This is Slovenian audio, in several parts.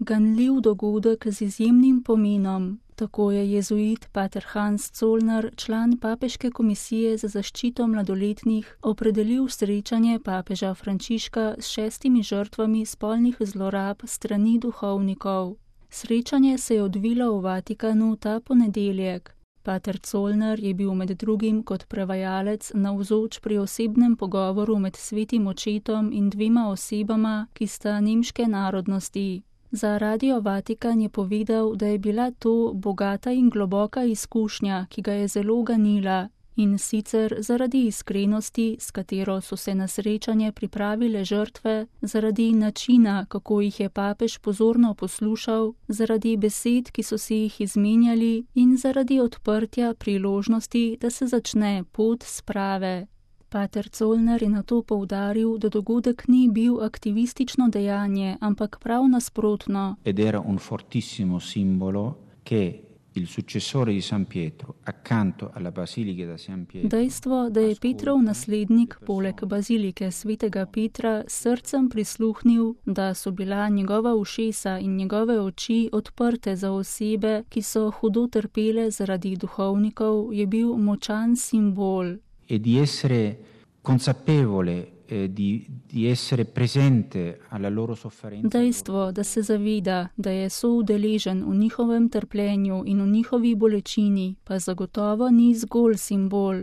Ganljiv dogodek z izjemnim pomenom, tako je jezuit pater Hans Zollner, član papeške komisije za zaščito mladoletnih, opredelil srečanje papeža Frančiška s 6 žrtvami spolnih zlorab strani duhovnikov. Srečanje se je odvilo v Vatikanu ta ponedeljek. Pater Zollner je bil med drugim kot prevajalec navzoč pri osebnem pogovoru med svetim očetom in 2 osebama, ki sta nemške narodnosti. Za Radio Vatikan je povedal, da je bila to bogata in globoka izkušnja, ki ga je zelo ganila, in sicer zaradi iskrenosti, s katero so se na srečanje pripravile žrtve, zaradi načina, kako jih je papež pozorno poslušal, zaradi besed, ki so si jih izmenjali, in zaradi odprtja priložnosti, da se začne pot sprave. Pater Zollner je nato poudaril, da dogodek ni bil aktivistično dejanje, ampak prav nasprotno. Ed era un fortissimo simbolo che il successore di San Pietro, accanto alla Basilica da San Pietro. Dejstvo, da je Petrov naslednik poleg bazilike svetega Petra s srcem prisluhnil, da so bila njegova ušesa in njegove oči odprte za osebe, ki so hudo trpele zaradi duhovnikov, je bil močan simbol. E di essere consapevole, di essere presente alla loro sofferenza. Dejstvo, da se zaveda, da je soudeležen v njihovem trpljenju in v njihovi bolečini, pa zagotovo ni zgolj simbol.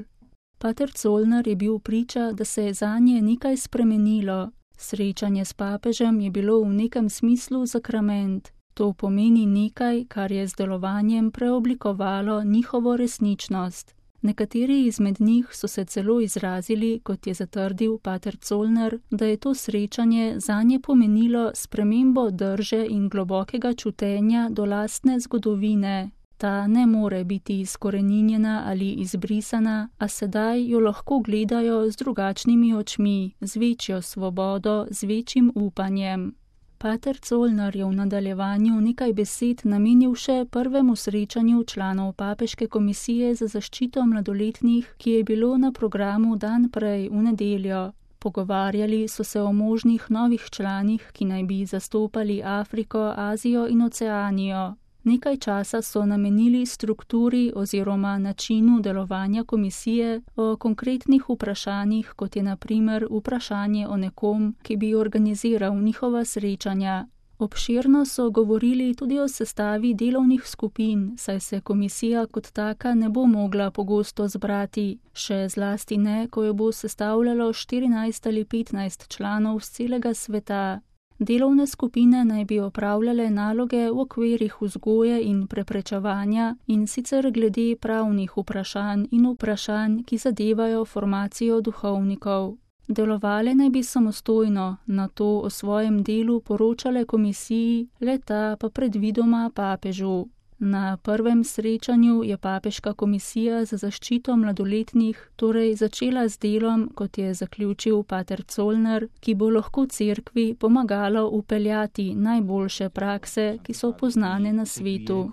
Pater Zollner je bil priča, da se je zanje nekaj spremenilo. Srečanje s papežem je bilo v nekem smislu sakrament. To pomeni nekaj, kar je z delovanjem preoblikovalo njihovo resničnost. Nekateri izmed njih so se celo izrazili, kot je zatrdil pater Zollner, da je to srečanje zanje pomenilo spremembo drže in globokega čutenja do lastne zgodovine. Ta ne more biti izkoreninjena ali izbrisana, a sedaj jo lahko gledajo z drugačnimi očmi, z večjo svobodo, z večjim upanjem. Pater Zollner je v nadaljevanju nekaj besed namenil še prvemu srečanju članov papeške komisije za zaščito mladoletnih, ki je bilo na programu dan prej v nedeljo. Pogovarjali so se o možnih novih članih, ki naj bi zastopali Afriko, Azijo in Oceanijo. Nekaj časa so namenili strukturi oziroma načinu delovanja komisije, o konkretnih vprašanjih, kot je na primer vprašanje o nekom, ki bi organiziral njihova srečanja. Obširno so govorili tudi o sestavi delovnih skupin, saj se komisija kot taka ne bo mogla pogosto zbrati, še zlasti ne, ko jo bo sestavljalo 14 ali 15 članov z celega sveta. Delovne skupine naj bi opravljale naloge v okvirih vzgoje in preprečevanja, in sicer glede pravnih vprašanj in vprašanj, ki zadevajo formacijo duhovnikov. Delovale naj bi samostojno, nato o svojem delu poročale komisiji, le-ta pa predvidoma papežu. Na prvem srečanju je papeška komisija za zaščito mladoletnih torej začela z delom, kot je zaključil pater Zollner, ki bo lahko cerkvi pomagalo upeljati najboljše prakse, ki so poznane na svetu.